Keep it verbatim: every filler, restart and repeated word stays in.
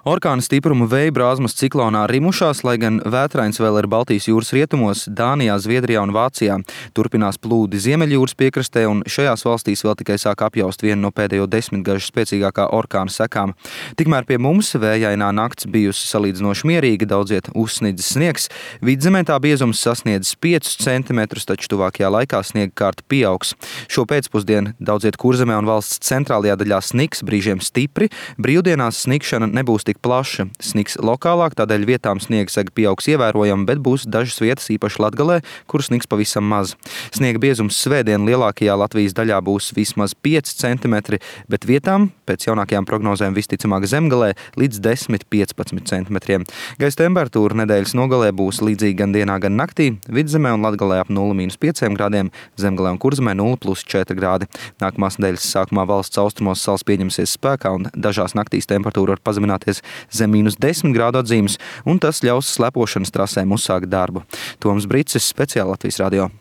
Orkāna stipruma vēja brāzmas ciklonā rimušās, lai gan vētrains vēl ir Baltijas jūras rietumos, Dānijā, Zviedrijā un Vācijā. Turpinās plūdi Ziemeļjūras piekrastē, un šajās valstīs vēl tikai sāk apjaust vienu no pēdējo desmitgažu spēcīgākā orkāna sekām. Tikmēr pie mums vējainā nakts bijusi salīdzinoši mierīga, daudziet uzsnidzis sniegs. Vidzemē tā biezums sasniedzis piecus centimetrus, taču tuvākajā laikā sniega kārta pieaugs. Šo pēcpusdienu daudziet Kurzemē un valsts centrālajā daļā sniks, brīžiem stipri. Brīvdienās snikšana nebūs tik plaša. Sniks lokālāk, tādēļ vietām sniega sega pieaugs ievērojami, bet būs dažas vietas, īpaši Latgalē, kur sniks pavisam maz. Sniega biezums svētdien lielākajā Latvijas daļā būs vismaz pieci centimetri, bet vietām, pēc jaunākajām prognozēm visticamāk Zemgalē, līdz desmit līdz piecpadsmit centimetriem. Gaisa temperatūra nedēļas nogalē būs līdzīga gan dienā, gan naktī. Vidzemē un Latgalē ap nulle mīnus pieci grādiem, Zemgalē un Kurzemē nulle plus četri grādi. Nākamās nedēļas sākumā valsts austrumos sals pieņemsies spēkā un dažās naktīs temperatūra var pazemināties zem mīnus desmit grādu atzīmes, un tas ļaus slepošanas trasēm uzsākt darbu. Toms Bricis, Speciāli Latvijas radio.